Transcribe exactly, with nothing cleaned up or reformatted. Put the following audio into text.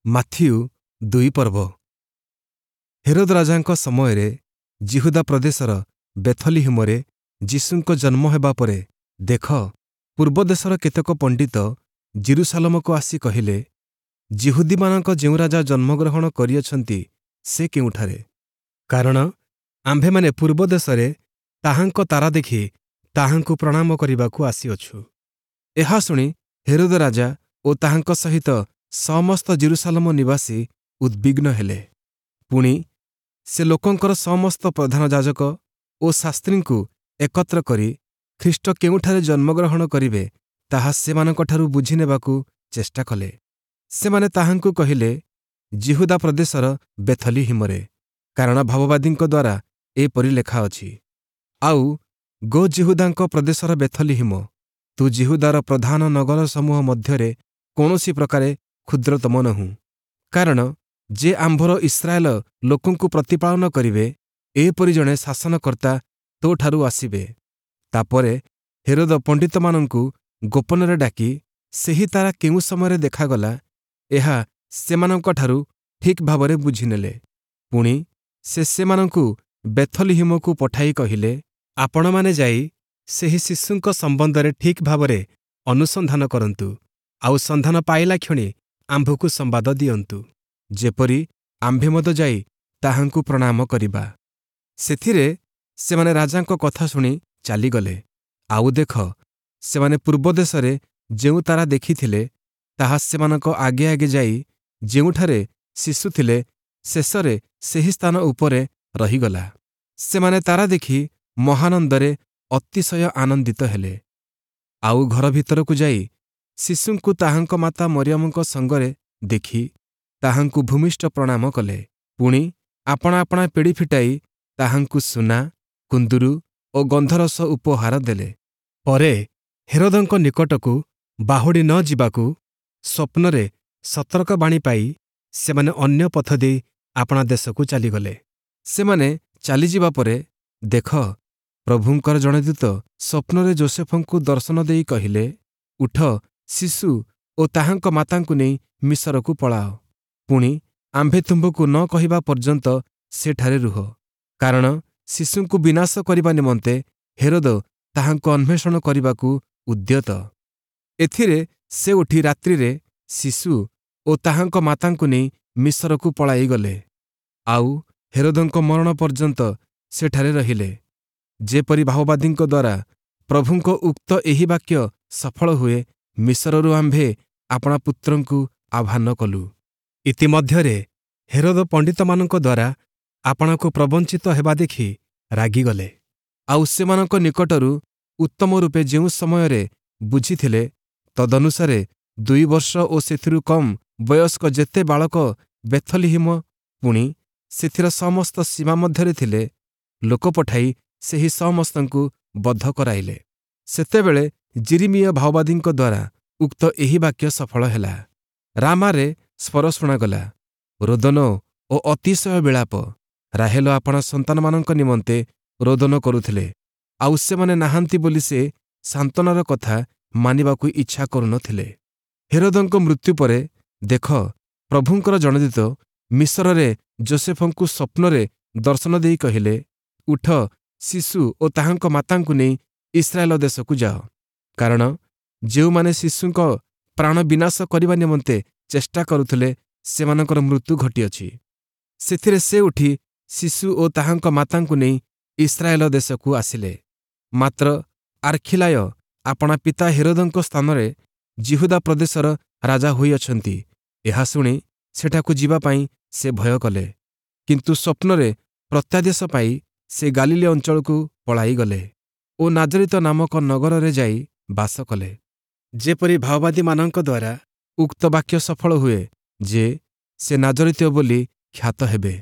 Matthew ଦୁଇ ପର୍ବ Herod ରାଜାଙ୍କ ସମୟରେ ଯିହୁଦା ପ୍ରଦେଶର ବେଥଲିହିମରେ ଯୀଶୁଙ୍କ ଜନ୍ମ ହେବା ପରେ, ଦେଖ, ପୂର୍ବ ଦେଶର କେତେକ ପଣ୍ଡିତ ଯିରୂଶାଲମକୁ ଆସି କହିଲେ, ଯିହୁଦୀମାନଙ୍କ ଯେଉଁ ରାଜା ଜନ୍ମଗ୍ରହଣ କରିଅଛନ୍ତି, ସେ କେଉଁଠାରେ? କାରଣ ଆମ୍ଭେମାନେ ପୂର୍ବ ଦେଶରେ ତାହାଙ୍କ ତାରା ଦେଖି ତାହାଙ୍କୁ ପ୍ରଣାମ କରିବାକୁ ଆସିଅଛୁ। ଏହା ଶୁଣି ହେରୋଦ ରାଜା ଓ ତାହାଙ୍କ ସହିତ ସମସ୍ତ ଯିରୂଶାଲମ ନିବାସୀ ଉଦ୍ବିଗ୍ନ ହେଲେ। ପୁଣି ସେ ଲୋକଙ୍କର ସମସ୍ତ ପ୍ରଧାନ ଯାଜକ ଓ ଶାସ୍ତ୍ରୀଙ୍କୁ ଏକତ୍ର କରି ଖ୍ରୀଷ୍ଟ କେଉଁଠାରେ ଜନ୍ମଗ୍ରହଣ କରିବେ, ତାହା ସେମାନଙ୍କଠାରୁ ବୁଝିନେବାକୁ ଚେଷ୍ଟା କଲେ। ସେମାନେ ତାହାଙ୍କୁ କହିଲେ, ଯିହୁଦା ପ୍ରଦେଶର ବେଥଲିହିମରେ, କାରଣ ଭାବବାଦୀଙ୍କ ଦ୍ୱାରା ଏପରି ଲେଖାଅଛି, ଆଉ ଗୋ ଯିହୁଦାଙ୍କ ପ୍ରଦେଶର ବେଥଲିହିମ, ତୁ ଯିହୁଦାର ପ୍ରଧାନ ନଗର ସମୂହ ମଧ୍ୟରେ କୌଣସି ପ୍ରକାରେ କ୍ଷୁଦ୍ରତମ ନୋହୁଁ, କାରଣ ଯେ ଆମ୍ଭର ଇସ୍ରାଏଲ ଲୋକଙ୍କୁ ପ୍ରତିପାଳନ କରିବେ, ଏପରି ଜଣେ ଶାସନକର୍ତ୍ତା ତୋଠାରୁ ଆସିବେ। ତା'ପରେ ହେରୋଦ ପଣ୍ଡିତମାନଙ୍କୁ ଗୋପନରେ ଡାକି ସେହି ତାରା କେଉଁ ସମୟରେ ଦେଖାଗଲା, ଏହା ସେମାନଙ୍କଠାରୁ ଠିକ୍ ଭାବରେ ବୁଝିନେଲେ। ପୁଣି ସେ ସେମାନଙ୍କୁ ବେଥଲିହିମକୁ ପଠାଇ କହିଲେ, ଆପଣମାନେ ଯାଇ ସେହି ଶିଶୁଙ୍କ ସମ୍ବନ୍ଧରେ ଠିକ୍ ଭାବରେ ଅନୁସନ୍ଧାନ କରନ୍ତୁ, ଆଉ ସନ୍ଧାନ ପାଇଲା କ୍ଷଣି ଆମ୍ଭକୁ ସମ୍ବାଦ ଦିଅନ୍ତୁ, ଯେପରି ଆମ୍ଭେ ମଧ୍ୟ ଯାଇ ତାହାଙ୍କୁ ପ୍ରଣାମ କରିବା। ସେଥିରେ ସେମାନେ ରାଜାଙ୍କ କଥା ଶୁଣି ଚାଲିଗଲେ। ଆଉ ଦେଖ, ସେମାନେ ପୂର୍ବ ଦେଶରେ ଯେଉଁ ତାରା ଦେଖିଥିଲେ, ତାହା ସେମାନଙ୍କ ଆଗେ ଆଗେ ଯାଇ ଯେଉଁଠାରେ ଶିଶୁ ଥିଲେ, ଶେଷରେ ସେହି ସ୍ଥାନ ଉପରେ ରହିଗଲା। ସେମାନେ ତାରା ଦେଖି ମହାନନ୍ଦରେ ଅତିଶୟ ଆନନ୍ଦିତ ହେଲେ। ଆଉ ଘର ଭିତରକୁ ଯାଇ ଶିଶୁଙ୍କୁ ତାହାଙ୍କ ମାତା ମରିୟମଙ୍କ ସଙ୍ଗରେ ଦେଖି ତାହାଙ୍କୁ ଭୂମିଷ୍ଠ ପ୍ରଣାମ କଲେ। ପୁଣି ଆପଣା ଆପଣା ପେଡ଼ି ଫିଟାଇ ତାହାଙ୍କୁ ସୁନା, କୁନ୍ଦୁରୁ ଓ ଗନ୍ଧରସ ଉପହାର ଦେଲେ। ପରେ ହେରୋଦଙ୍କ ନିକଟକୁ ବାହୁଡ଼ି ନ ଯିବାକୁ ସ୍ୱପ୍ନରେ ସତର୍କବାଣୀ ପାଇ ସେମାନେ ଅନ୍ୟ ପଥ ଦେଇ ଆପଣା ଦେଶକୁ ଚାଲିଗଲେ। ସେମାନେ ଚାଲିଯିବା ପରେ ଦେଖ, ପ୍ରଭୁଙ୍କର ଜଣେ ଦୂତ ସ୍ୱପ୍ନରେ ଯୋଷେଫଙ୍କୁ ଦର୍ଶନ ଦେଇ କହିଲେ, ଉଠ, ଶିଶୁ ଓ ତାହାଙ୍କ ମାତାଙ୍କୁ ନେଇ ମିଶରକୁ ପଳାଅ। ପୁଣି ଆମ୍ଭେ ତୁମ୍ଭକୁ ନ କହିବା ପର୍ଯ୍ୟନ୍ତ ସେଠାରେ ରୁହ, କାରଣ ଶିଶୁଙ୍କୁ ବିନାଶ କରିବା ନିମନ୍ତେ ହେରୋଦ ତାହାଙ୍କୁ ଅନ୍ୱେଷଣ କରିବାକୁ ଉଦ୍ୟତ। ଏଥିରେ ସେ ଉଠି ରାତ୍ରିରେ ଶିଶୁ ଓ ତାହାଙ୍କ ମାତାଙ୍କୁ ନେଇ ମିଶରକୁ ପଳାଇଗଲେ। ଆଉ ହେରୋଦଙ୍କ ମରଣ ପର୍ଯ୍ୟନ୍ତ ସେଠାରେ ରହିଲେ, ଯେପରି ଭାବବାଦୀଙ୍କ ଦ୍ୱାରା ପ୍ରଭୁଙ୍କ ଉକ୍ତ ଏହି ବାକ୍ୟ ସଫଳ ହୁଏ, ମିଶରରୁ ଆମ୍ଭେ ଆପଣା ପୁତ୍ରଙ୍କୁ ଆହ୍ୱାନ କଲୁ। ଇତିମଧ୍ୟରେ ହେରୋଦ ପଣ୍ଡିତମାନଙ୍କ ଦ୍ୱାରା ଆପଣାକୁ ପ୍ରବଞ୍ଚିତ ହେବା ଦେଖି ରାଗିଗଲେ। ଆଉ ସେମାନଙ୍କ ନିକଟରୁ ଉତ୍ତମ ରୂପେ ଯେଉଁ ସମୟରେ ବୁଝିଥିଲେ, ତଦନୁସାରେ ଦୁଇ ବର୍ଷ ଓ ସେଥିରୁ କମ୍ ବୟସ୍କ ଯେତେ ବାଳକ ବେଥଲିହିମ ପୁଣି ସେଥିର ସମସ୍ତ ସୀମା ମଧ୍ୟରେ ଥିଲେ, ଲୋକ ପଠାଇ ସେହି ସମସ୍ତଙ୍କୁ ବଧ କରାଇଲେ। ସେତେବେଳେ ଯିରିମିୟ ଭାବବାଦୀଙ୍କ ଦ୍ୱାରା ଉକ୍ତ ଏହି ବାକ୍ୟ ସଫଳ ହେଲା, ରାମାରେ ସ୍ୱର ଶୁଣାଗଲା, ରୋଦନ ଓ ଅତିଶୟ ବିଳାପ। ରାହେଲ ଆପଣା ସନ୍ତାନମାନଙ୍କ ନିମନ୍ତେ ରୋଦନ କରୁଥିଲେ, ଆଉ ସେମାନେ ନାହାନ୍ତି ବୋଲି ସେ ସାନ୍ତ୍ୱନାର କଥା ମାନିବାକୁ ଇଚ୍ଛା କରୁନଥିଲେ। ହେରୋଦଙ୍କ ମୃତ୍ୟୁ ପରେ ଦେଖ, ପ୍ରଭୁଙ୍କର ଜଣେ ଦୂତ ମିଶରରେ ଯୋଷେଫଙ୍କୁ ସ୍ୱପ୍ନରେ ଦର୍ଶନ ଦେଇ କହିଲେ, ଉଠ, ଶିଶୁ ଓ ତାହାଙ୍କ ମାତାଙ୍କୁ ନେଇ ଇସ୍ରାଏଲ ଦେଶକୁ ଯାଅ, କାରଣ ଯେଉଁମାନେ ଶିଶୁଙ୍କ ପ୍ରାଣ ବିନାଶ କରିବା ନିମନ୍ତେ ଚେଷ୍ଟା କରୁଥିଲେ, ସେମାନଙ୍କର ମୃତ୍ୟୁ ଘଟିଅଛି। ସେଥିରେ ସେ ଉଠି ଶିଶୁ ଓ ତାହାଙ୍କ ମାତାଙ୍କୁ ନେଇ ଇସ୍ରାଏଲ ଦେଶକୁ ଆସିଲେ। ମାତ୍ର ଆର୍ଖିଲାୟ ଆପଣା ପିତା ହେରୋଦଙ୍କ ସ୍ଥାନରେ ଯିହୁଦା ପ୍ରଦେଶର ରାଜା ହୋଇଅଛନ୍ତି, ଏହା ଶୁଣି ସେଠାକୁ ଯିବା ପାଇଁ ସେ ଭୟ କଲେ। କିନ୍ତୁ ସ୍ୱପ୍ନରେ ପ୍ରତ୍ୟାଦେଶ ପାଇ ସେ ଗାଲିଲୀ ଅଞ୍ଚଳକୁ ପଳାଇଗଲେ ଓ ନାଜରିତ ନାମକ ନଗରରେ ଯାଇ ବାସ କଲେ, ଯେପରି ଭାବବାଦୀମାନଙ୍କ ଦ୍ୱାରା ଉକ୍ତ ବାକ୍ୟ ସଫଳ ହୁଏ ଯେ, ସେ ନାଜରିତୀୟ ବୋଲି ଖ୍ୟାତ ହେବେ।